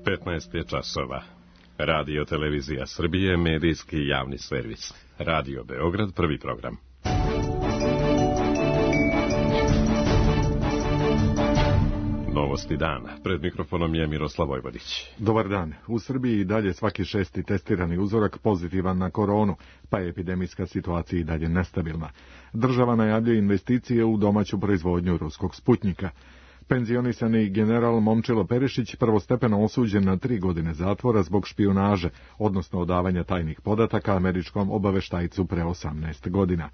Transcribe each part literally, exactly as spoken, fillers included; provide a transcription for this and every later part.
petnaest je časova. Radio Televizija Srbije, medijski javni servis. Radio Beograd, prvi program. Novosti dana. Pred mikrofonom je Miroslav Vojvodić. Dobar dan. U Srbiji i dalje svaki šesti testirani uzorak pozitivan na koronu, pa je epidemijska situacija i dalje nestabilna. Država najavljuje investicije u domaću proizvodnju ruskog Sputnjika. Penzionisani general Momčilo Perišić prvostepeno osuđen na tri godine zatvora zbog špijunaže, odnosno odavanja tajnih podataka američkom obaveštajcu pre osamnaest godina.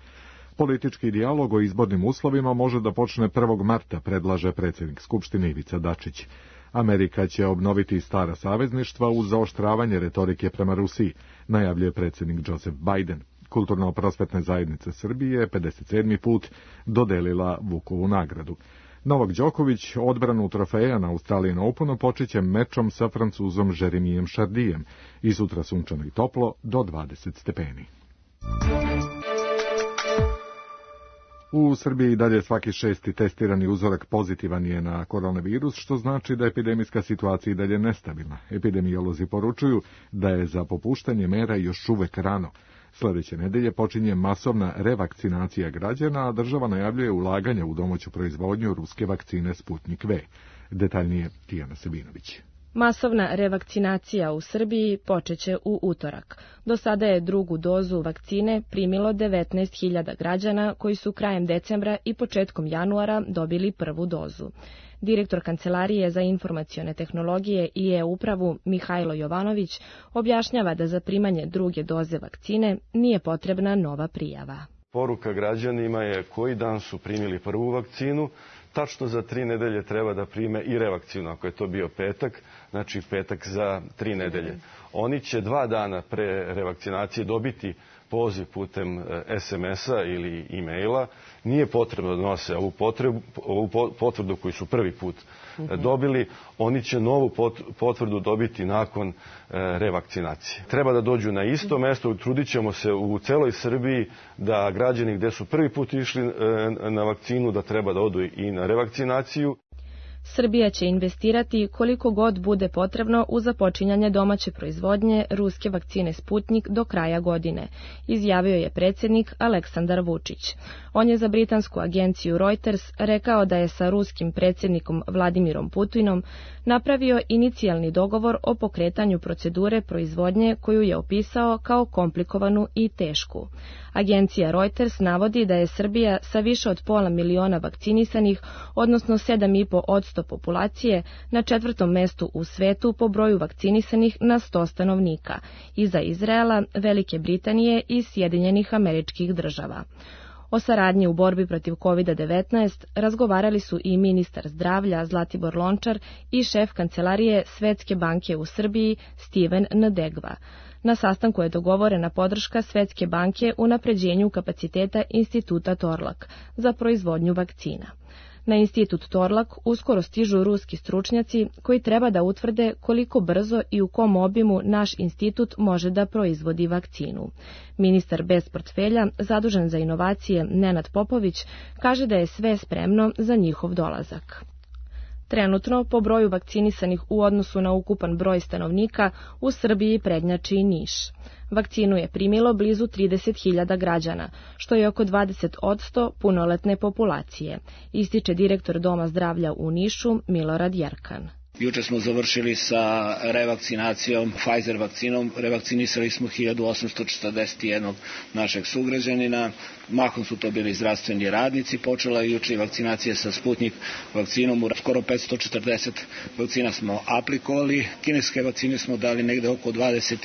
Politički dijalog o izbornim uslovima može da počne prvog marta, predlaže predsjednik Skupštine Ivica Dačić. Amerika će obnoviti stara savezništva uz zaoštravanje retorike prema Rusiji, najavljuje predsjednik Joseph Biden. Kulturno-prosvetne zajednice Srbije pedeset sedmi put dodelila Vukovu nagradu. Novak Đoković odbranu trofeja na Australian Openu počeće mečom sa Francuzom Jeremijem Chardijem i sutra sunčano i toplo do dvadeset stepeni. U Srbiji dalje svaki šesti testirani uzorak pozitivan je na koronavirus, što znači da epidemijska situacija i dalje nestabilna. Epidemiolozi poručuju da je za popuštanje mera još uvek rano. Sljedeće nedelje počinje masovna revakcinacija građana, a država najavljuje ulaganje u domaću proizvodnju ruske vakcine Sputnik V. Detaljnije Tijana Sabinović. Masovna revakcinacija u Srbiji počeće u utorak. Do sada je drugu dozu vakcine primilo devetnaest hiljada građana koji su krajem decembra i početkom januara dobili prvu dozu. Direktor Kancelarije za informacione tehnologije i e-upravu Mihajlo Jovanović objašnjava da za primanje druge doze vakcine nije potrebna nova prijava. Poruka građanima je koji dan su primili prvu vakcinu, tačno za tri nedelje treba da prime i revakcinu, ako je to bio petak, znači petak za tri nedelje. Oni će dva dana pre revakcinacije dobiti poziv putem es em es-a ili e-maila. Nije potrebno da nose ovu, potrebu, ovu potvrdu koju su prvi put dobili. Oni će novu potvrdu dobiti nakon revakcinacije. Treba da dođu na isto mesto. Trudit ćemo se u celoj Srbiji da građani gde su prvi put išli na vakcinu da treba da odu i na revakcinaciju. Srbija će investirati koliko god bude potrebno u započinjanje domaće proizvodnje ruske vakcine Sputnik do kraja godine, izjavio je predsjednik Aleksandar Vučić. On je za britansku agenciju Reuters rekao da je sa ruskim predsjednikom Vladimirom Putinom napravio inicijalni dogovor o pokretanju procedure proizvodnje koju je opisao kao komplikovanu i tešku. Agencija Reuters navodi da je Srbija sa više od pola miliona vakcinisanih, odnosno sedam i po posto populacije, na četvrtom mestu u svetu po broju vakcinisanih na sto stanovnika, iza Izraela, Velike Britanije i Sjedinjenih Američkih Država. O saradnji u borbi protiv kovid devetnaest razgovarali su i ministar zdravlja Zlatibor Lončar i šef Kancelarije Svetske banke u Srbiji Steven Ndegva. Na sastanku je dogovorena podrška Svetske banke u unapređenju kapaciteta Instituta Torlak za proizvodnju vakcina. Na Institut Torlak uskoro stižu ruski stručnjaci koji treba da utvrde koliko brzo i u kom obimu naš institut može da proizvodi vakcinu. Ministar bez portfelja, zadužen za inovacije Nenad Popović, kaže da je sve spremno za njihov dolazak. Trenutno, po broju vakcinisanih u odnosu na ukupan broj stanovnika, u Srbiji prednjači Niš. Vakcinu je primilo blizu trideset hiljada građana, što je oko dvadeset posto punoletne populacije, ističe direktor Doma zdravlja u Nišu Milorad Jerkan. Juče smo završili sa revakcinacijom, Pfizer vakcinom. Revakcinisali smo hiljadu osamsto četrdeset jedan našeg sugrađanina. Mahom su to bili zdravstveni radnici. Počela je juče vakcinacija sa Sputnik vakcinom. Skoro petsto četrdeset vakcina smo aplikovali. Kineske vakcine smo dali negde oko dvadeset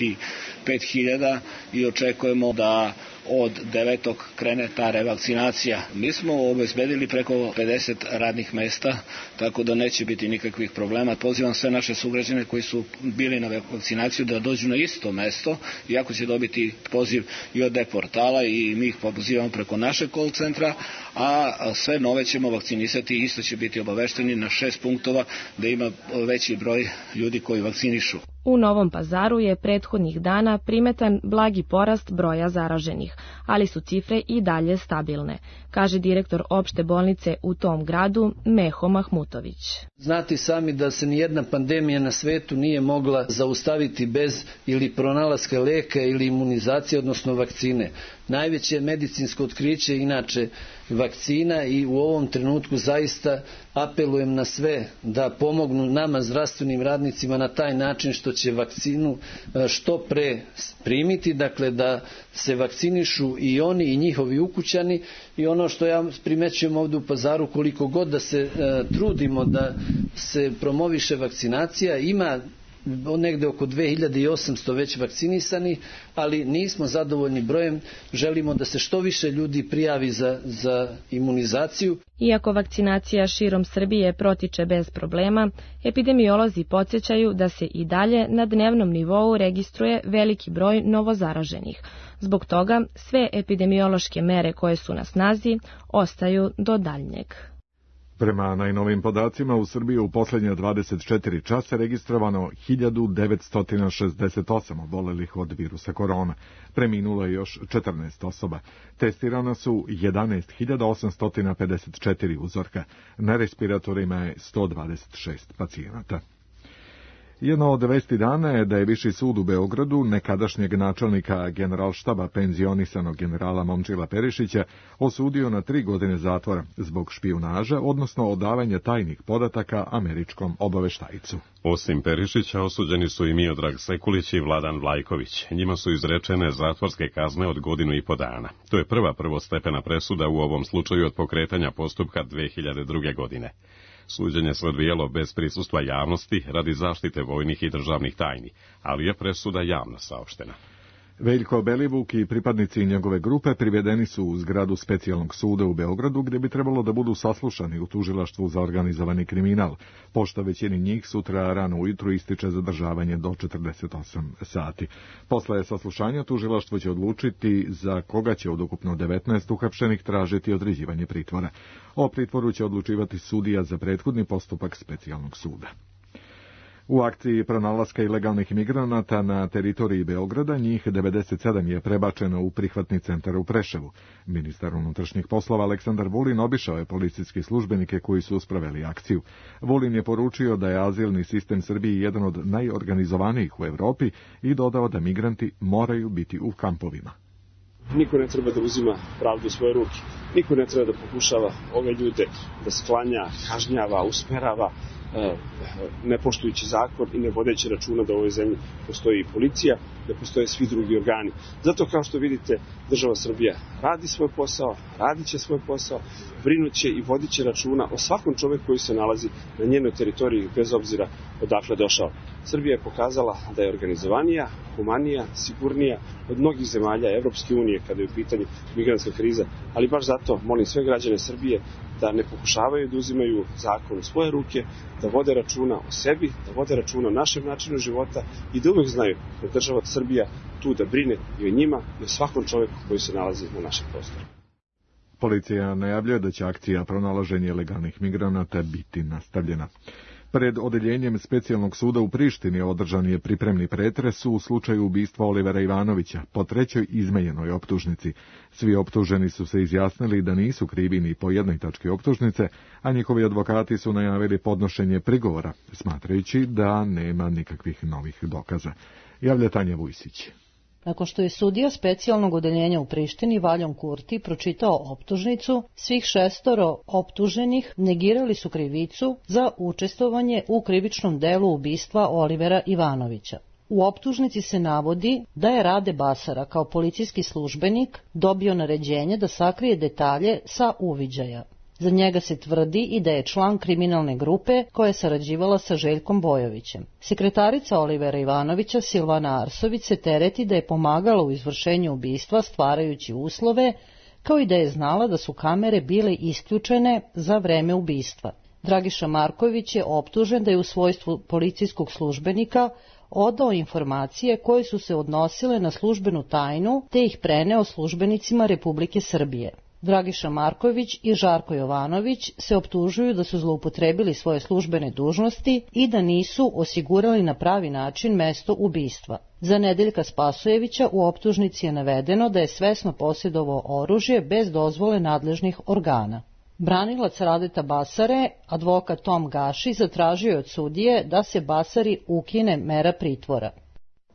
pet hiljada i očekujemo da od devetog krene ta revakcinacija. Mi smo obezbedili preko pedeset radnih mesta, tako da neće biti nikakvih problema. Pozivam sve naše sugrađane koji su bili na vakcinaciju da dođu na isto mesto, iako će dobiti poziv i od e-portala i mi ih pozivamo preko našeg call centra, a sve nove ćemo vakcinisati i isto će biti obavešteni na šest punktova da ima veći broj ljudi koji vakcinišu. U Novom Pazaru je prethodnih dana primetan blagi porast broja zaraženih, ali su cifre i dalje stabilne, kaže direktor opšte bolnice u tom gradu Meho Mahmutović. Znate sami da se nijedna pandemija na svetu nije mogla zaustaviti bez ili pronalaska leka ili imunizacije, odnosno vakcine. Najveće medicinsko otkriće inače vakcina i u ovom trenutku zaista apelujem na sve da pomognu nama zdravstvenim radnicima na taj način što će vakcinu što pre primiti, dakle da se vakcinišu i oni i njihovi ukućani. I ono što ja primećujem ovdje u Pazaru, koliko god da se e, trudimo da se promoviše vakcinacija, ima negde oko dve hiljade osamsto već vakcinisani, ali nismo zadovoljni brojem, želimo da se što više ljudi prijavi za, za imunizaciju. Iako vakcinacija širom Srbije protiče bez problema, epidemiolozi podsjećaju da se i dalje na dnevnom nivou registruje veliki broj novozaraženih. Zbog toga sve epidemiološke mere koje su na snazi ostaju do daljnjeg. Prema najnovim podacima u Srbiji u posljednje dvadeset četiri časa registrovano hiljadu devetsto šezdeset osam obolelih od virusa korona. Preminulo je još četrnaest osoba. Testirana su jedanaest hiljada osamsto pedeset četiri uzorka. Na respiratorima je sto dvadeset šest pacijenata. Jedno od vesti dana je da je Viši sud u Beogradu nekadašnjeg načelnika generalštaba penzionisanog generala Momčila Perišića osudio na tri godine zatvora zbog špijunaža, odnosno odavanja tajnih podataka američkom obaveštajcu. Osim Perišića osuđeni su i Miodrag Sekulić i Vladan Vlajković. Njima su izrečene zatvorske kazne od godinu i po dana. To je prva prvostepena presuda u ovom slučaju od pokretanja postupka dve hiljade druge. godine. Suđenje se odvijalo bez prisustva javnosti radi zaštite vojnih i državnih tajni, ali je presuda javno saopštena. Veljko Belivuk i pripadnici njegove grupe privedeni su u zgradu specijalnog suda u Beogradu, gdje bi trebalo da budu saslušani u tužilaštvu za organizovani kriminal, pošto većini njih sutra rano ujutru ističe zadržavanje do četrdeset osam sati. Posle saslušanja tužilaštvo će odlučiti za koga će od ukupno devetnaest uhapšenih tražiti određivanje pritvora. O pritvoru će odlučivati sudija za prethodni postupak specijalnog suda. U akciji pronalaska ilegalnih migranata na teritoriji Beograda njih devedeset sedam je prebačeno u prihvatni centar u Preševu. Ministar unutrašnjih poslova Aleksandar Vulin obišao je policijske službenike koji su sproveli akciju. Vulin je poručio da je azilni sistem Srbiji jedan od najorganizovanijih u Evropi i dodao da migranti moraju biti u kampovima. Niko ne treba da uzima pravdu u svoje ruke. Niko ne treba da pokušava ove ljude da sklanja, kažnjava, usmerava, ne poštujući zakon i ne vodeći računa da u ovoj zemlji postoji i policija, da postoje svi drugi organi. Zato, kao što vidite, država Srbija radi svoj posao, radit će svoj posao, brinuće i vodit će računa o svakom čoveku koji se nalazi na njenoj teritoriji, bez obzira odakle došao. Srbija je pokazala da je organizovanija, humanija, sigurnija od mnogih zemalja Evropske unije kada je u pitanju migrantska kriza, ali baš zato molim sve građane Srbije da ne pokušavaju da uzimaju zakon u svoje ruke, da vode računa o sebi, da vode računa o našem načinu života i da uvek znaju da država Srbija tu da brine i o njima i o svakom čoveku koji se nalazi na našem prostoru. Policija najavljuje da će akcija pronalaženja ilegalnih migranata biti nastavljena. Pred odeljenjem specijalnog suda u Prištini održan je pripremni pretres u slučaju ubistva Olivera Ivanovića po trećoj izmenjenoj optužnici. Svi optuženi su se izjasnili da nisu krivi ni po jednoj tački optužnice, a njihovi advokati su najavili podnošenje prigovora, smatrajući da nema nikakvih novih dokaza. Javlja Tanja Vujsić. Nakon što je sudija specijalnog odeljenja u Prištini Valjon Kurti pročitao optužnicu, svih šestoro optuženih negirali su krivicu za učestvovanje u krivičnom delu ubistva Olivera Ivanovića. U optužnici se navodi da je Rade Basara kao policijski službenik dobio naređenje da sakrije detalje sa uviđaja. Za njega se tvrdi i da je član kriminalne grupe koja je sarađivala sa Željkom Bojovićem. Sekretarica Olivera Ivanovića Silvana Arsović se tereti da je pomagala u izvršenju ubistva stvarajući uslove, kao i da je znala da su kamere bile isključene za vreme ubistva. Dragiša Marković je optužen da je u svojstvu policijskog službenika odao informacije koje su se odnosile na službenu tajnu te ih preneo službenicima Republike Srbije. Dragiša Marković i Žarko Jovanović se optužuju da su zloupotrebili svoje službene dužnosti i da nisu osigurali na pravi način mesto ubistva. Za Nedeljka Spasojevića u optužnici je navedeno da je svesno posjedovao oružje bez dozvole nadležnih organa. Branilac Radeta Basare, advokat Tom Gaši, zatražio je od sudije da se Basari ukine mera pritvora.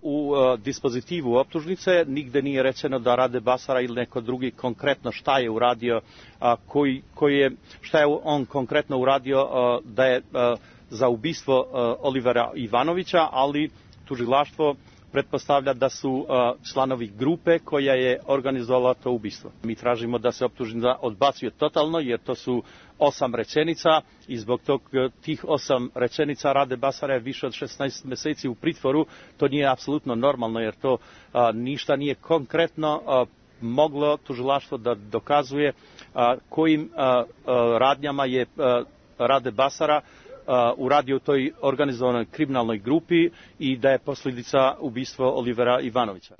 U uh, dispozitivu optužnice nigde nije rečeno da Rade Basara ili neko drugi konkretno šta je uradio, uh, koji, koji je, šta je on konkretno uradio uh, da je uh, za ubistvo uh, Olivera Ivanovića, ali tužilaštvo pretpostavlja da su uh, članovi grupe koja je organizovala to ubistvo. Mi tražimo da se optužnica odbacuje totalno, jer to su osam rečenica i zbog tog, tih osam rečenica Rade Basara je više od šesnaest meseci u pritvoru. To nije apsolutno normalno, jer to uh, ništa nije konkretno uh, moglo tužilaštvo da dokazuje uh, kojim uh, uh, radnjama je uh, Rade Basara uradio u toj organizovanoj kriminalnoj grupi i da je posljedica ubistva Olivera Ivanovića.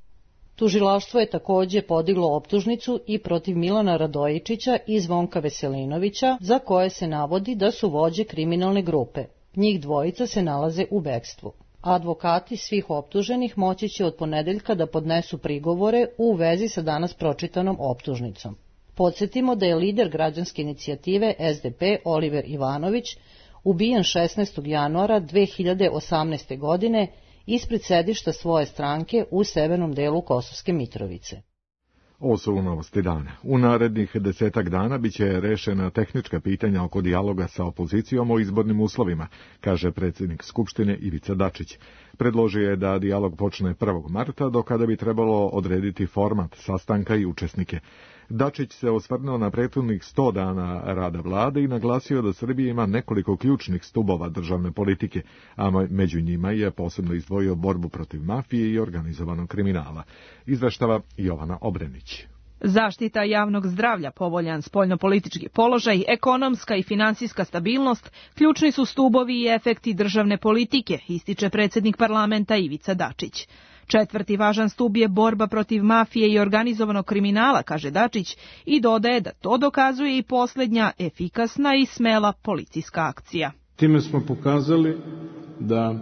Tužilaštvo je takođe podiglo optužnicu i protiv Milana Radojičića i Zvonka Veselinovića, za koje se navodi da su vođe kriminalne grupe. Njih dvojica se nalaze u bekstvu. Advokati svih optuženih moći će od ponedeljka da podnesu prigovore u vezi sa danas pročitanom optužnicom. Podsjetimo da je lider građanske inicijative S D P Oliver Ivanović ubijen šesnaestog januara dve hiljade osamnaeste. godine ispred sedišta svoje stranke u severnom delu Kosovske Mitrovice. Ovo su novosti dana. U narednih desetak dana biće rešena tehnička pitanja oko dijaloga sa opozicijom o izbornim uslovima, kaže predsjednik Skupštine Ivica Dačić. Predložio je da dijalog počne prvog marta, do kada bi trebalo odrediti format sastanka i učesnike. Dačić se osvrnuo na prethodnih sto dana rada vlade i naglasio da Srbija ima nekoliko ključnih stubova državne politike, a među njima je posebno izdvojio borbu protiv mafije i organizovanog kriminala. Izveštava Jovana Obrenić. Zaštita javnog zdravlja, povoljan spoljnopolitički položaj, ekonomska i finansijska stabilnost, ključni su stubovi i efekti državne politike, ističe predsjednik parlamenta Ivica Dačić. Četvrti važan stub je borba protiv mafije i organizovanog kriminala, kaže Dačić, i dodaje da to dokazuje i posljednja efikasna i smela policijska akcija. Time smo pokazali da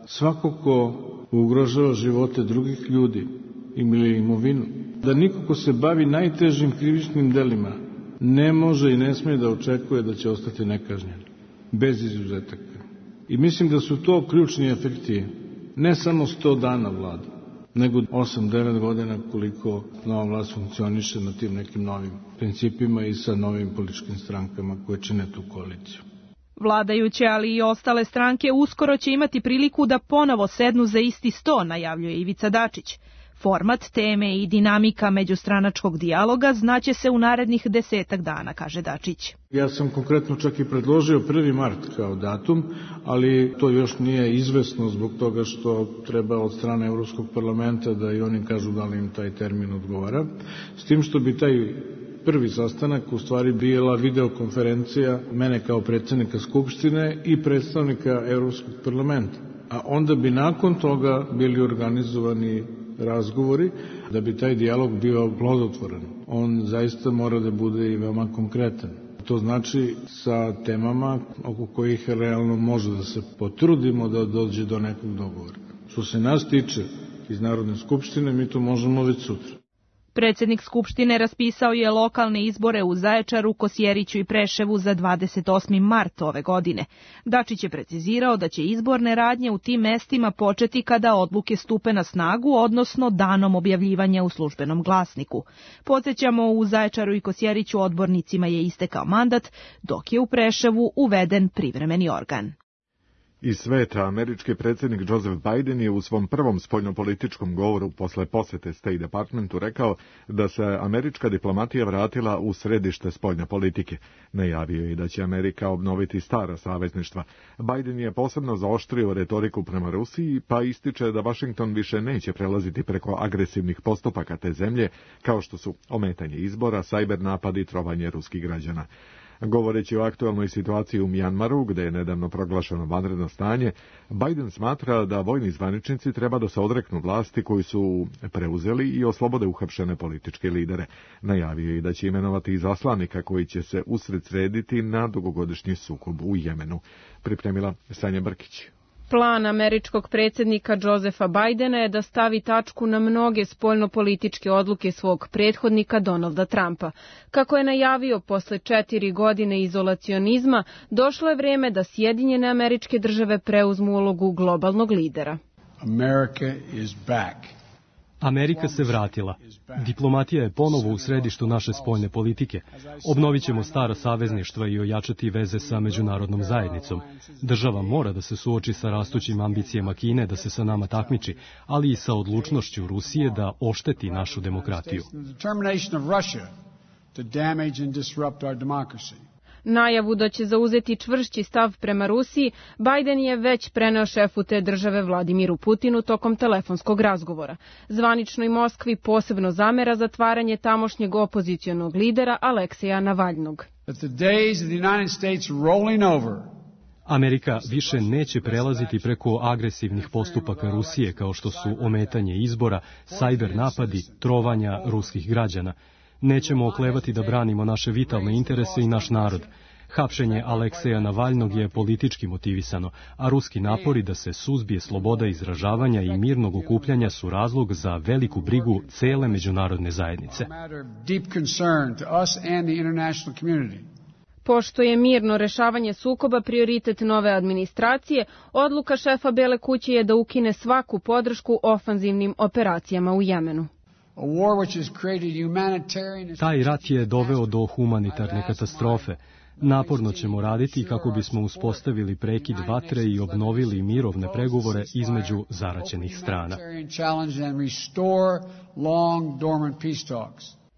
svako ko ugrožava živote drugih ljudi ili imovinu, da niko ko se bavi najtežim krivičnim delima ne može i ne smije da očekuje da će ostati nekažnjen, bez izuzetaka. I mislim da su to ključni efekti ne samo sto dana vlade, nego osam devet godina koliko nova vlast funkcioniše na tim nekim novim principima i sa novim političkim strankama koje čine tu koaliciju. Vladajuće, ali i ostale stranke uskoro će imati priliku da ponovo sednu za isti sto, najavljuje Ivica Dačić. Format, teme i dinamika međustranačkog dijaloga znaće se u narednih desetak dana, kaže Dačić. Ja sam konkretno čak i predložio prvi mart kao datum, ali to još nije izvesno zbog toga što treba od strane Evropskog parlamenta da i oni kažu da li im taj termin odgovara. S tim što bi taj prvi sastanak u stvari bila videokonferencija mene kao predsjednika Skupštine i predstavnika Evropskog parlamenta. A onda bi nakon toga bili organizovani razgovori da bi taj dijalog bio plodotvoran. On zaista mora da bude i veoma konkretan. To znači sa temama oko kojih realno može da se potrudimo da dođe do nekog dogovora. Što se nas tiče iz Narodne skupštine, mi to možemo već sutra. Predsjednik Skupštine raspisao je lokalne izbore u Zaječaru, Kosjeriću i Preševu za dvadeset osmi mart ove godine. Dačić je precizirao da će izborne radnje u tim mestima početi kada odluke stupe na snagu, odnosno danom objavljivanja u službenom glasniku. Podsjećamo, u Zaječaru i Kosjeriću odbornicima je istekao mandat, dok je u Preševu uveden privremeni organ. Iz sveta, američki predsjednik Joseph Biden je u svom prvom spoljnopolitičkom govoru posle posete State Departmentu rekao da se američka diplomatija vratila u središte spoljne politike. Najavio je da će Amerika obnoviti stara savezništva. Biden je posebno zaoštrio retoriku prema Rusiji, pa ističe da Washington više neće prelaziti preko agresivnih postupaka te zemlje, kao što su ometanje izbora, sajber napadi i trovanje ruskih građana. Govoreći o aktualnoj situaciji u Mjanmaru, gde je nedavno proglašeno vanredno stanje, Biden smatra da vojni zvaničnici treba da se odreknu vlasti koju su preuzeli i oslobode uhapšene političke lidere. Najavio je i da će imenovati izaslanika koji će se usredsrediti na dugogodišnji sukob u Jemenu. Pripremila Sanja Brkić. Plan američkog predsjednika Josepha Bidena je da stavi tačku na mnoge spoljnopolitičke odluke svog prethodnika Donalda Trumpa. Kako je najavio, posle četiri godine izolacionizma, došlo je vreme da Sjedinjene Američke Države preuzmu ulogu globalnog lidera. America is back. Amerika se vratila. Diplomatija je ponovo u središtu naše spoljne politike. Obnovit ćemo stara savezništva i ojačati veze sa međunarodnom zajednicom. Država mora da se suoči sa rastućim ambicijama Kine da se sa nama takmiči, ali i sa odlučnošću Rusije da ošteti našu demokratiju. Najavu da će zauzeti čvršći stav prema Rusiji, Biden je već preneo šefu te države Vladimiru Putinu tokom telefonskog razgovora. Zvaničnoj Moskvi posebno zamera zatvaranje tamošnjeg opozicionog lidera Alekseja Navalnog. Amerika više neće prelaziti preko agresivnih postupaka Rusije kao što su ometanje izbora, sajber napadi, trovanja ruskih građana. Nećemo oklevati da branimo naše vitalne interese i naš narod. Hapšenje Alekseja Navalnog je politički motivisano, a ruski napori da se suzbije sloboda izražavanja i mirnog okupljanja su razlog za veliku brigu cele međunarodne zajednice. Pošto je mirno rešavanje sukoba prioritet nove administracije, odluka šefa Bele kuće je da ukine svaku podršku ofanzivnim operacijama u Jemenu. Taj rat je doveo do humanitarne katastrofe. Naporno ćemo raditi kako bismo uspostavili prekid vatre i obnovili mirovne pregovore između zaraćenih strana.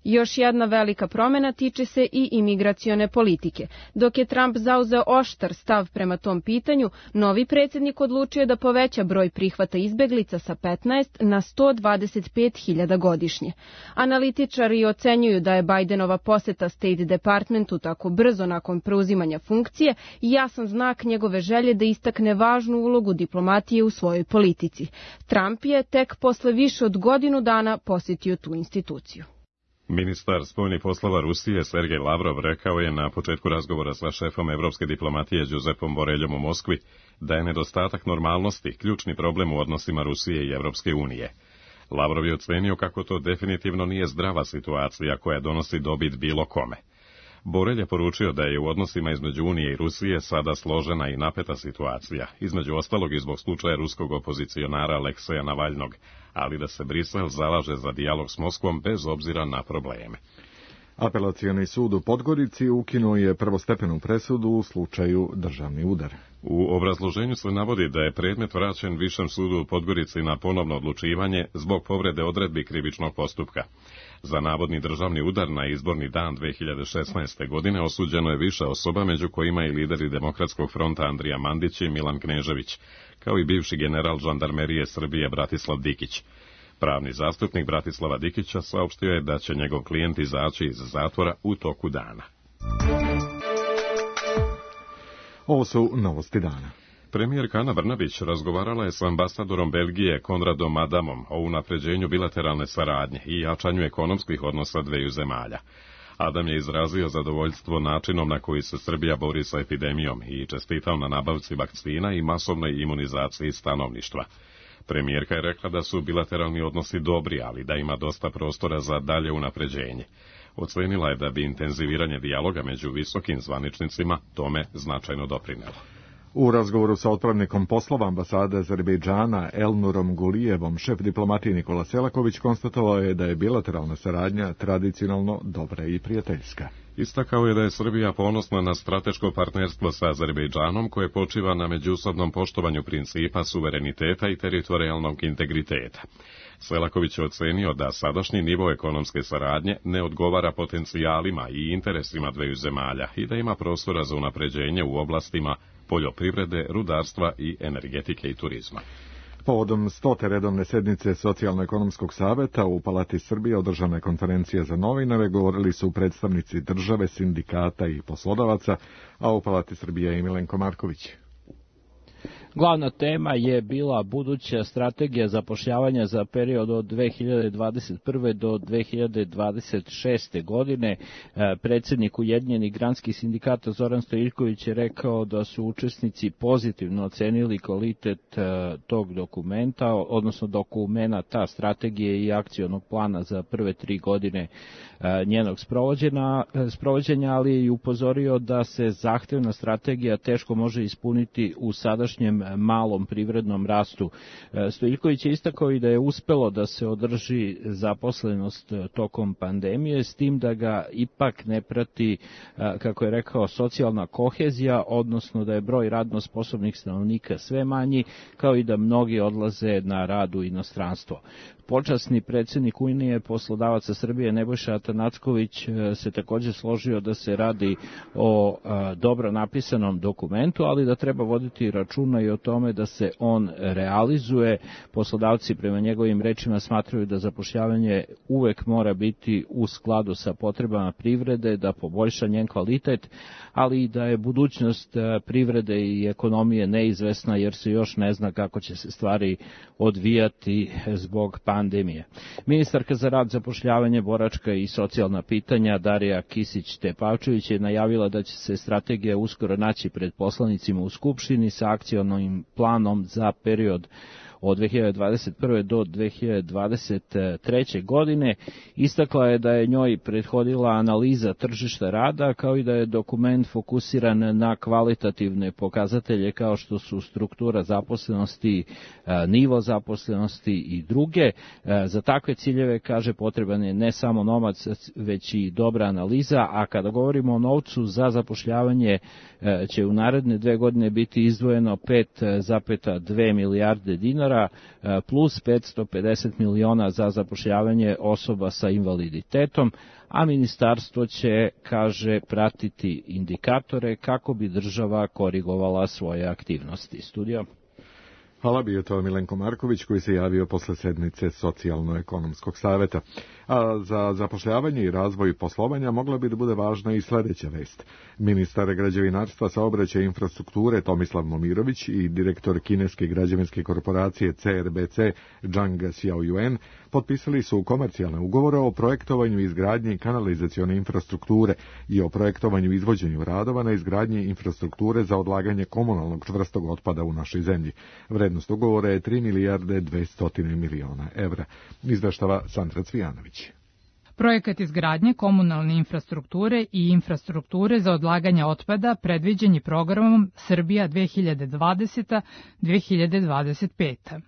Još jedna velika promjena tiče se i imigracione politike. Dok je Trump zauzeo oštar stav prema tom pitanju, novi predsjednik odlučio da poveća broj prihvata izbeglica sa petnaest na sto dvadeset pet hiljada godišnje. Analitičari ocenjuju da je Bidenova poseta State Departmentu tako brzo nakon preuzimanja funkcije jasan znak njegove želje da istakne važnu ulogu diplomatije u svojoj politici. Trump je tek posle više od godinu dana posjetio tu instituciju. Ministar spoljnih poslova Rusije Sergej Lavrov rekao je na početku razgovora sa šefom evropske diplomatije Giuseppom Boreljom u Moskvi da je nedostatak normalnosti ključni problem u odnosima Rusije i Evropske unije. Lavrov je ocenio kako to definitivno nije zdrava situacija koja donosi dobit bilo kome. Borelj je poručio da je u odnosima između Unije i Rusije sada složena i napeta situacija, između ostalog i zbog slučaja ruskog opozicionara Alekseja Navalnog, ali da se Brisel zalaže za dijalog s Moskvom bez obzira na probleme. Apelacioni sud u Podgorici ukinuo je prvostepenu presudu u slučaju državni udar. U obrazloženju se navodi da je predmet vraćen Višem sudu u Podgorici na ponovno odlučivanje zbog povrede odredbi krivičnog postupka. Za navodni državni udar na izborni dan dve hiljade šesnaeste. godine osuđeno je više osoba, među kojima i lideri Demokratskog fronta Andrija Mandić i Milan Knežević, kao i bivši general žandarmerije Srbije Bratislav Dikić. Pravni zastupnik Bratislava Dikića saopštio je da će njegov klijent izaći iz zatvora u toku dana. Ovo su novosti dana. Premijerka Ana Brnabić razgovarala je s ambasadorom Belgije Konradom Adamom o unapređenju bilateralne saradnje i jačanju ekonomskih odnosa dveju zemalja. Adam je izrazio zadovoljstvo načinom na koji se Srbija bori sa epidemijom i čestitao na nabavci vakcina i masovnoj imunizaciji stanovništva. Premijerka je rekla da su bilateralni odnosi dobri, ali da ima dosta prostora za dalje unapređenje. Ocenila je da bi intenziviranje dijaloga među visokim zvaničnicima tome značajno doprinelo. U razgovoru sa otpravnikom poslova ambasade Azerbejdžana Elnurom Gulijevom, šef diplomatije Nikola Selaković konstatovao je da je bilateralna saradnja tradicionalno dobra i prijateljska. Istakao je da je Srbija ponosna na strateško partnerstvo sa Azerbejdžanom koje počiva na međusobnom poštovanju principa suvereniteta i teritorijalnog integriteta. Selaković je ocenio da sadašnji nivo ekonomske saradnje ne odgovara potencijalima i interesima dveju zemalja i da ima prostora za unapređenje u oblastima poljoprivrede, rudarstva i energetike i turizma. Povodom stote redovne sednice Socijalno-ekonomskog saveta u Palati Srbije održana je konferencija za novinare, govorili su predstavnici države, sindikata i poslodavaca, a u Palati Srbije i Milenko Marković. Glavna tema je bila buduća strategija zapošljavanja za period od dve hiljade dvadeset prve do dve hiljade dvadeset šeste. godine. Predsjednik Ujedinjenih granskih sindikata Zoran Stojiljković je rekao da su učesnici pozitivno ocenili kvalitet tog dokumenta, odnosno dokumenta strategije i akcionog plana za prve tri godine njenog sprovođenja, ali je i upozorio da se zahtevna strategija teško može ispuniti u sadašnjem malom privrednom rastu. Stojiljković je istakao i da je uspelo da se održi zaposlenost tokom pandemije, s tim da ga ipak ne prati, kako je rekao, socijalna kohezija, odnosno da je broj radno sposobnih stanovnika sve manji, kao i da mnogi odlaze na rad u inostranstvo. Počasni predsjednik Unije poslodavaca Srbije Nebojša Atanacković se također složio da se radi o dobro napisanom dokumentu, ali da treba voditi računa i o tome da se on realizuje. Poslodavci prema njegovim rečima smatraju da zapošljavanje uvek mora biti u skladu sa potrebama privrede, da poboljša njen kvalitet, ali i da je budućnost privrede i ekonomije neizvesna jer se još ne zna kako će se stvari odvijati zbog pandemije. Ministarka za rad, zapošljavanje, boračka i socijalna pitanja Darija Kisić-Tepavčević je najavila da će se strategija uskoro naći pred poslanicima u Skupštini sa akcionim planom za period od dve hiljade dvadeset prve do dve hiljade dvadeset treće. godine. Istakla je da je njoj prethodila analiza tržišta rada, kao i da je dokument fokusiran na kvalitativne pokazatelje kao što su struktura zaposlenosti, nivo zaposlenosti i druge. Za takve ciljeve, kaže, potreban je ne samo novac, već i dobra analiza, a kada govorimo o novcu za zapošljavanje, će u naredne dve godine biti izdvojeno pet zarez dve milijarde dinara, plus petsto pedeset miliona za zapošljavanje osoba sa invaliditetom, a ministarstvo će, kaže, pratiti indikatore kako bi država korigovala svoje aktivnosti. Studio. Hvala, bio to Milenko Marković koji se javio posle sednice Socijalno-ekonomskog saveta. A za zapošljavanje i razvoj poslovanja mogla bi da bude važna i sledeća vest. Ministar građevinarstva, saobraćaja i infrastrukture Tomislav Momirović i direktor kineske građevinske korporacije C R B C Zhang Xiaoyuan potpisali su komercijalne ugovore o projektovanju i izgradnji kanalizacione infrastrukture i o projektovanju i izvođenju radova na izgradnji infrastrukture za odlaganje komunalnog čvrstog otpada u našoj zemlji. Vrednost ugovora je tri milijarde dvesta miliona evra. Izveštava Sandra Cvijanović. Projekat izgradnje komunalne infrastrukture i infrastrukture za odlaganje otpada predviđen je programom Srbija dve hiljade dvadeseta do dve hiljade dvadeset peta.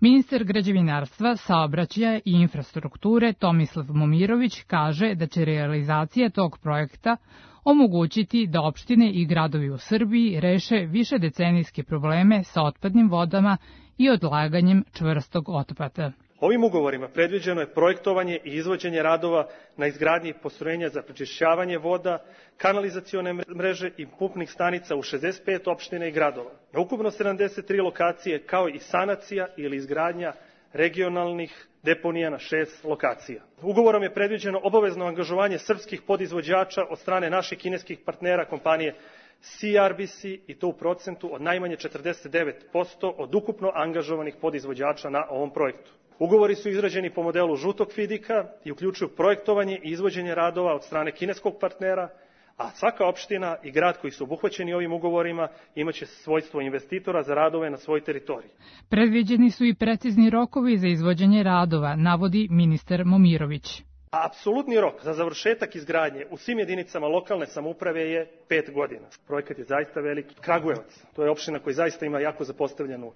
Ministar građevinarstva, saobraćaja i infrastrukture Tomislav Momirović kaže da će realizacija tog projekta omogućiti da opštine i gradovi u Srbiji reše višedecenijske probleme sa otpadnim vodama i odlaganjem čvrstog otpada. Ovim ugovorima predviđeno je projektovanje i izvođenje radova na izgradnji postrojenja za prečišćavanje voda, kanalizacione mreže i pumpnih stanica u šezdeset pet opština i gradova. Na ukupno sedamdeset tri lokacije, kao i sanacija ili izgradnja regionalnih deponija na šest lokacija. Ugovorom je predviđeno obavezno angažovanje srpskih podizvođača od strane naših kineskih partnera kompanije C R B C i to u procentu od najmanje četrdeset devet posto od ukupno angažovanih podizvođača na ovom projektu. Ugovori su izrađeni po modelu žutog fidika i uključuju projektovanje i izvođenje radova od strane kineskog partnera, a svaka opština i grad koji su obuhvaćeni ovim ugovorima imaće svojstvo investitora za radove na svojoj teritoriji. Predviđeni su i precizni rokovi za izvođenje radova, navodi ministar Momirović. Apsolutni rok za završetak izgradnje u svim jedinicama lokalne samouprave je pet godina. Projekat je zaista veliki. Kragujevac, to je opština koja zaista ima jako zapostavljenu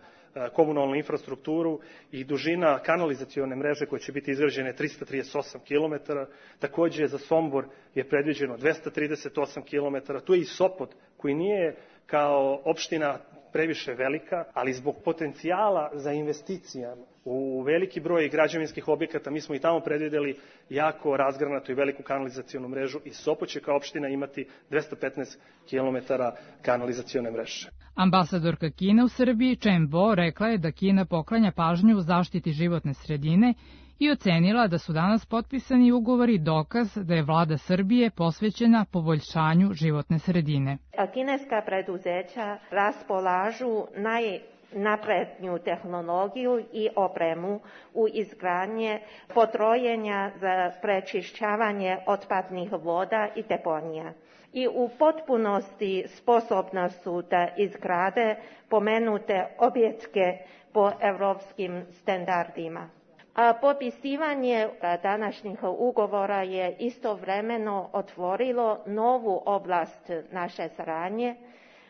komunalnu infrastrukturu i dužina kanalizacione mreže koja će biti izgrađena trista trideset osam kilometara. Takođe za Sombor je predviđeno dvesta trideset osam kilometara. Tu je i Sopot koji nije kao opština previše velika, ali zbog potencijala za investicijama u veliki broj građevinskih objekata mi smo i tamo predvideli jako razgranatu i veliku kanalizacionu mrežu i Sopot će kao opština imati dvesta petnaest kilometara kanalizacione mreže. Ambasadorka Kine u Srbiji Chen Bo rekla je da Kina poklanja pažnju zaštiti životne sredine i ocenila da su danas potpisani ugovori dokaz da je vlada Srbije posvećena poboljšanju životne sredine. Kineska preduzeća raspolažu najnapredniju tehnologiju i opremu u izgradnje potrojenja za prečišćavanje otpadnih voda i deponija. I u potpunosti sposobna su da izgrade pomenute objekte po evropskim standardima. A potpisivanje današnjih ugovora je istovremeno otvorilo novu oblast naše saradnje.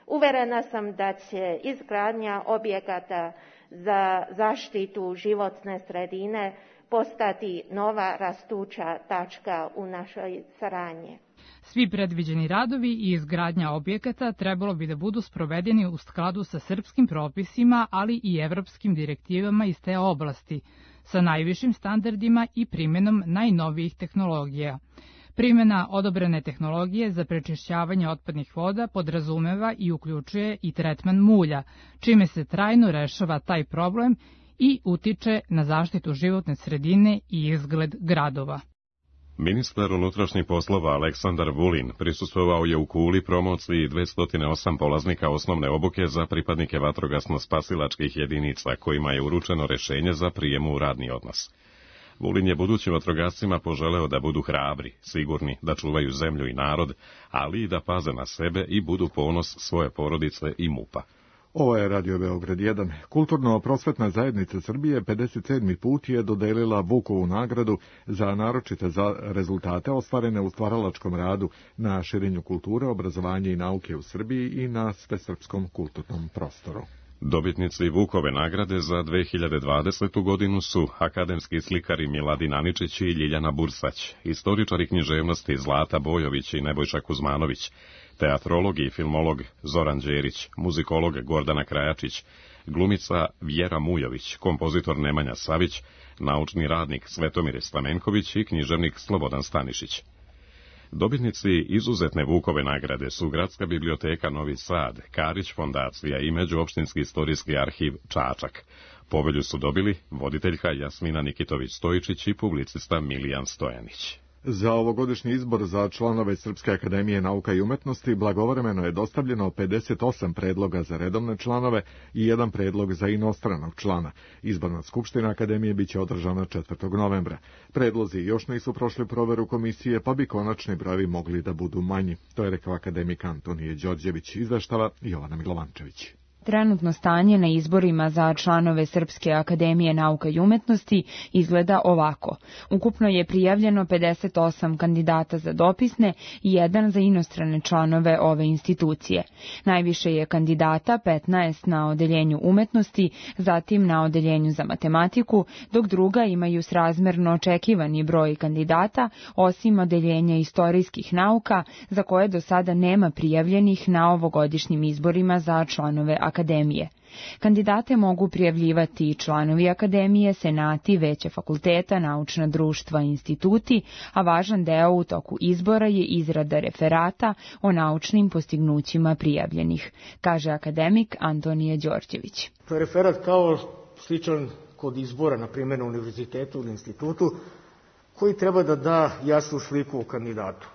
Uverena sam da će izgradnja objekata za zaštitu životne sredine postati nova rastuća tačka u našoj saradnji. Svi predviđeni radovi i izgradnja objekata trebalo bi da budu sprovedeni u skladu sa srpskim propisima, ali i evropskim direktivama iz te oblasti, sa najvišim standardima i primjenom najnovijih tehnologija. Primjena odobrene tehnologije za prečišćavanje otpadnih voda podrazumeva i uključuje i tretman mulja, čime se trajno rešava taj problem i utiče na zaštitu životne sredine i izgled gradova. Ministar unutrašnjih poslova Aleksandar Vulin prisustvovao je u Kuli promociji dvesta osam polaznika osnovne obuke za pripadnike vatrogasno-spasilačkih jedinica, kojima je uručeno rešenje za prijem u radni odnos. Vulin je budućim vatrogascima poželeo da budu hrabri, sigurni da čuvaju zemlju i narod, ali i da paze na sebe i budu ponos svoje porodice i MUP-a. Ovo je Radio Beograd jedan. Kulturno-prosvetna zajednica Srbije pedeset sedmi put je dodelila Vukovu nagradu za naročite za rezultate ostvarene u stvaralačkom radu na širenju kulture, obrazovanja i nauke u Srbiji i na svesrpskom kulturnom prostoru. Dobitnici Vukove nagrade za dve hiljade dvadesetu godinu su akademski slikari Miladin Aničić i Ljiljana Bursać, istoričari književnosti Zlata Bojović i Nebojša Kuzmanović, teatrolog i filmolog Zoran Đerić, muzikolog Gordana Krajačić, glumica Vjera Mujović, kompozitor Nemanja Savić, naučni radnik Svetomir Stamenković i književnik Slobodan Stanišić. Dobitnici izuzetne Vukove nagrade su Gradska biblioteka Novi Sad, Karić fondacija i Međuopštinski istorijski arhiv Čačak. Povelju su dobili voditeljka Jasmina Nikitović-Stojičić i publicista Milijan Stojanić. Za ovogodišnji izbor za članove Srpske akademije nauka i umetnosti blagovremeno je dostavljeno pedeset osam predloga za redovne članove i jedan predlog za inostranog člana. Izborna skupština akademije biće održana četvrtog novembra. Predlozi još nisu prošli proveru komisije, pa bi konačni brojevi mogli da budu manji. To je rekao akademik Antonije Đorđević, izveštava Jovana Milovančević. Trenutno stanje na izborima za članove Srpske akademije nauka i umetnosti izgleda ovako. Ukupno je prijavljeno pedeset osam kandidata za dopisne i jedan za inostrane članove ove institucije. Najviše je kandidata, petnaest na odeljenju umetnosti, zatim na odeljenju za matematiku, dok druga imaju srazmerno očekivani broj kandidata, osim odeljenja istorijskih nauka, za koje do sada nema prijavljenih na ovogodišnjim izborima za članove akademije. Akademije. Kandidate mogu prijavljivati i članovi akademije, senati, veće fakulteta, naučna društva i instituti, a važan deo u toku izbora je izrada referata o naučnim postignućima prijavljenih, kaže akademik Antonije Đorđević. To je referat kao sličan kod izbora, na primjer na univerzitetu ili institutu, koji treba da da jasnu sliku o kandidatu.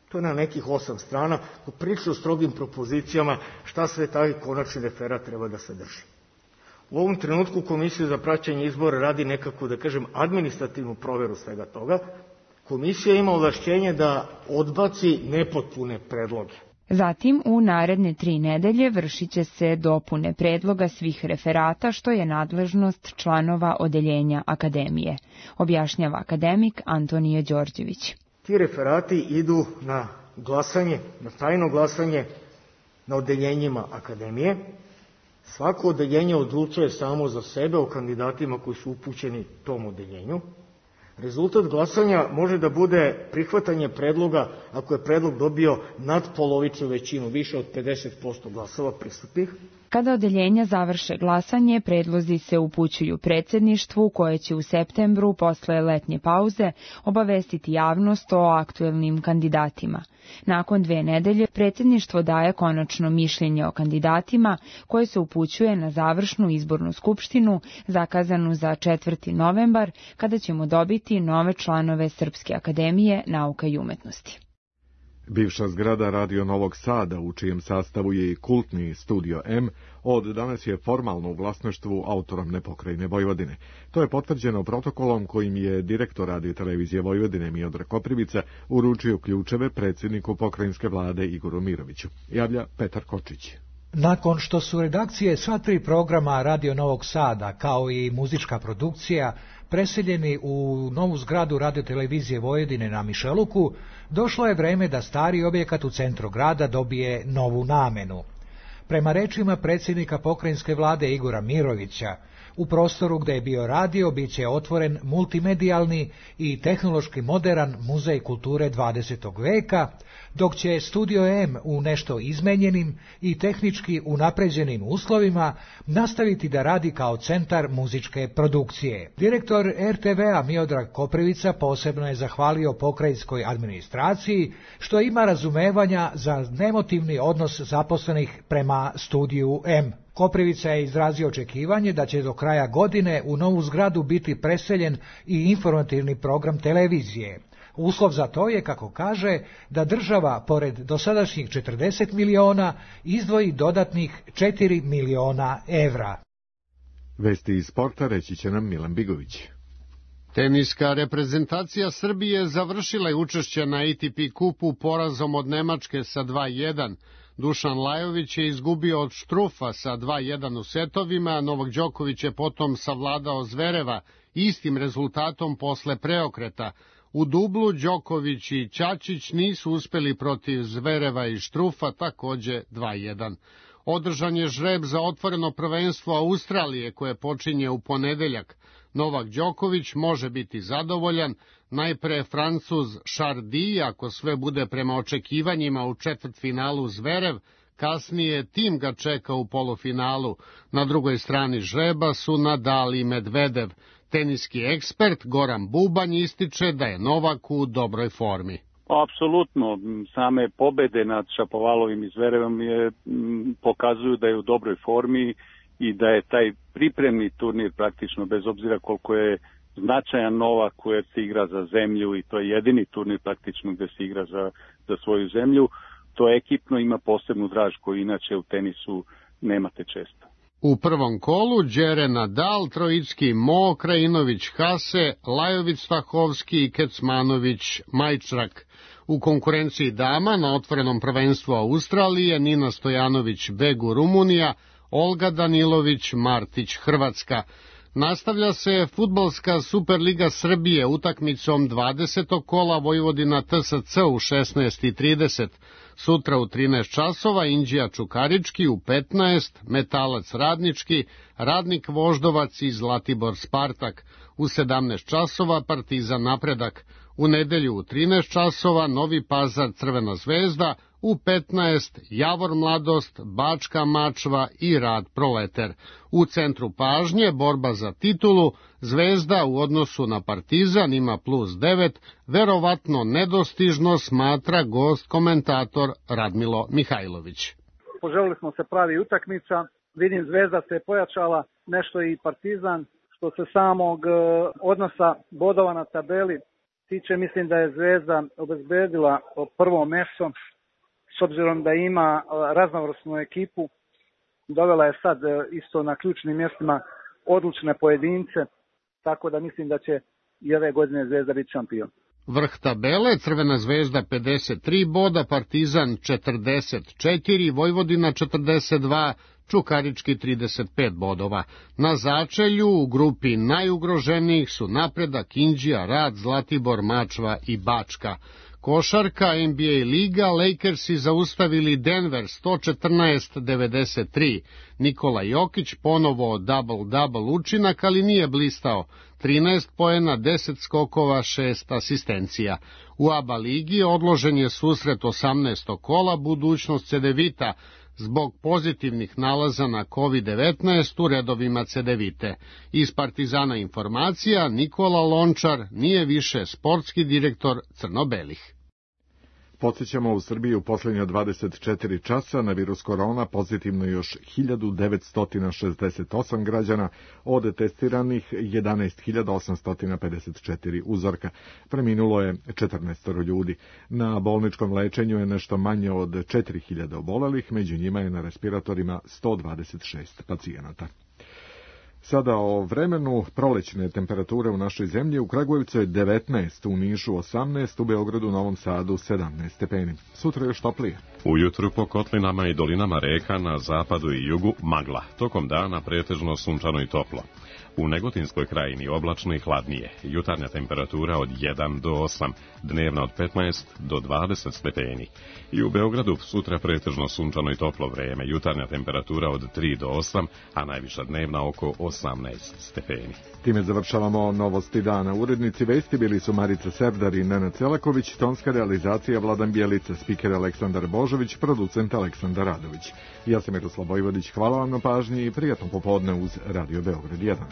To je na nekih osam strana, poprilično strogim propozicijama šta sve taj konačni referat treba da sadrži. U ovom trenutku Komisija za praćenje izbora radi nekako, da kažem, administrativnu proveru svega toga. Komisija ima ovlašćenje da odbaci nepotpune predloge. Zatim, u naredne tri nedelje vršit će se dopune predloga svih referata, što je nadležnost članova odeljenja akademije, objašnjava akademik Antonije Đorđević. Ti referati idu na glasanje, na tajno glasanje na odeljenjima akademije. Svako odeljenje odlučuje samo za sebe o kandidatima koji su upućeni tom odeljenju. Rezultat glasanja može da bude prihvatanje predloga ako je predlog dobio nadpolovičnu većinu, više od pedeset posto glasova prisutnih. Kada odeljenja završe glasanje, predlozi se upućuju predsjedništvu koje će u septembru posle letnje pauze obavestiti javnost o aktuelnim kandidatima. Nakon dve nedelje predsjedništvo daje konačno mišljenje o kandidatima koje se upućuje na završnu izbornu skupštinu zakazanu za četvrti novembar kada ćemo dobiti nove članove Srpske akademije nauka i umetnosti. Bivša zgrada Radio Novog Sada, u čijem sastavu je i kultni Studio M, od danas je formalno u vlasništvu autonomne pokrajine Vojvodine. To je potvrđeno protokolom kojim je direktor Radio-televizije Vojvodine Miodrag Koprivica uručio ključeve predsjedniku pokrajinske vlade Igoru Miroviću. Javlja Petar Kočić. Nakon što su redakcije sva tri programa Radio Novog Sada, kao i muzička produkcija, preseljeni u novu zgradu Radio-televizije Vojvodine na Mišeluku, došlo je vreme da stari objekat u centru grada dobije novu namenu. Prema rečima predsjednika pokrajinske vlade Igora Mirovića, u prostoru gdje je bio radio biće otvoren multimedijalni i tehnološki moderan muzej kulture dvadesetog veka, dok će Studio M u nešto izmenjenim i tehnički unapređenim uslovima nastaviti da radi kao centar muzičke produkcije. Direktor R T V-a Miodrag Koprivica posebno je zahvalio pokrajinskoj administraciji što ima razumevanja za nemotivni odnos zaposlenih prema Studiju M. Koprivica je izrazio očekivanje da će do kraja godine u novu zgradu biti preseljen i informativni program televizije. Uslov za to je, kako kaže, da država, pored dosadašnjih četrdeset miliona, izdvoji dodatnih četiri miliona evra. Vesti iz sporta reći će nam Milan Bigović. Teniska reprezentacija Srbije završila je učešće na A T P kupu porazom od Nemačke sa dva jedan. Dušan Lajović je izgubio od Štrufa sa dva jedan u setovima, Novak Đoković je potom savladao Zvereva istim rezultatom posle preokreta. U dublu Đoković i Ćačić nisu uspeli protiv Zvereva i Štrufa, takođe dva jedan. Održan je žreb za otvoreno prvenstvo Australije koje počinje u ponedeljak. Novak Đoković može biti zadovoljan, najpre Francuz Chardy, ako sve bude prema očekivanjima u četvrtfinalu Zverev, kasnije tim ga čeka u polufinalu. Na drugoj strani žreba su Nadal i Medvedev. Teniski ekspert Goran Bubanj ističe da je Novak u dobroj formi. Apsolutno, same pobede nad Šapovalovim i Zverevom je, m, pokazuju da je u dobroj formi i da je taj pripremni turnir praktično, bez obzira koliko je značajan Novak koji se igra za zemlju i to je jedini turnir praktično gde se igra za, za svoju zemlju, to ekipno ima posebnu draž koju inače u tenisu nemate često. U prvom kolu Đere Nadal, Trojicki Mo, Krajinović Hase, Lajović Stahovski i Kecmanović Majčrak. U konkurenciji dama na otvorenom prvenstvu Australije Nina Stojanović Begu Rumunija, Olga Danilović Martić Hrvatska. Nastavlja se fudbalska Superliga Srbije utakmicom dvadesetog kola Vojvodina T S C u šesnaest i trideset. Sutra u trinaest časova Inđija Čukarički, u petnaest Metalac Radnički, Radnik Voždovac i Zlatibor Spartak. U sedamnaest časova Partizan Napredak. U nedelju u trinaest časova Novi Pazar Crvena zvezda, u petnaest Javor Mladost, Bačka Mačva i Rad Proleter. U centru pažnje borba za titulu, Zvezda u odnosu na Partizan ima plus devet, verovatno nedostižno smatra gost komentator Radmilo Mihajlović. Poželili smo se pravi utakmica, vidim Zvezda se pojačala, nešto i Partizan, što se samog odnosa bodova na tabeli tiče, mislim da je Zvezda obezbedila prvo mesto, s obzirom da ima raznovrsnu ekipu, dovela je sad isto na ključnim mjestima odlučne pojedince, tako da mislim da će i ove godine Zvezda biti šampion. Vrh tabele, Crvena zvezda pedeset tri boda, Partizan četrdeset četiri, Vojvodina četrdeset dva, Čukarički trideset pet bodova. Na začelju u grupi najugroženijih su Napredak, Inđija, Rad, Zlatibor, Mačva i Bačka. Košarka, N B A liga, Lakersi zaustavili Denver sto četrnaest devedeset tri. Nikola Jokić ponovo double-double učinak, ali nije blistao. trinaest poena, deset skokova, šest asistencija. U A B A ligi odložen je susret osamnaestog kola budućnost Cedevita. zbog pozitivnih nalaza na kovid devetnaest u redovima Cedevite. Iz Partizana informacija, Nikola Lončar nije više sportski direktor crno-belih. Podsjećamo, u Srbiji u posljednja dvadeset četiri časa na virus korona pozitivno još hiljadu devetsto šezdeset osam građana, od testiranih jedanaest hiljada osamsto pedeset četiri uzorka. Preminulo je četrnaest ljudi. Na bolničkom lečenju je nešto manje od četiri hiljade obolelih, među njima je na respiratorima sto dvadeset šest pacijenata. Sada o vremenu. Prolećne temperature u našoj zemlji: u Kragujevcu je devetnaest, u Nišu osamnaest, u Beogradu, Novom Sadu sedamnaest stepeni. Sutra još toplije. Ujutru po kotlinama i dolinama reka na zapadu i jugu magla, tokom dana pretežno sunčano i toplo. U Negotinskoj krajini oblačno i hladnije, jutarnja temperatura od jedan do osam, dnevna od petnaest do dvadeset stepeni. I u Beogradu sutra pretežno sunčano i toplo vreme, jutarnja temperatura od tri do osam, a najviša dnevna oko osamnaest stepeni. Time završavamo novosti dana. Urednici vesti bili su Marica Serdar i Nenad Celaković, tonska realizacija Vladan Bjelica, spiker Aleksandar Božović, producent Aleksandar Radović. Ja sam Miroslav Vojvodić, hvala vam na pažnji i prijatno popodne uz Radio Beograd jedan.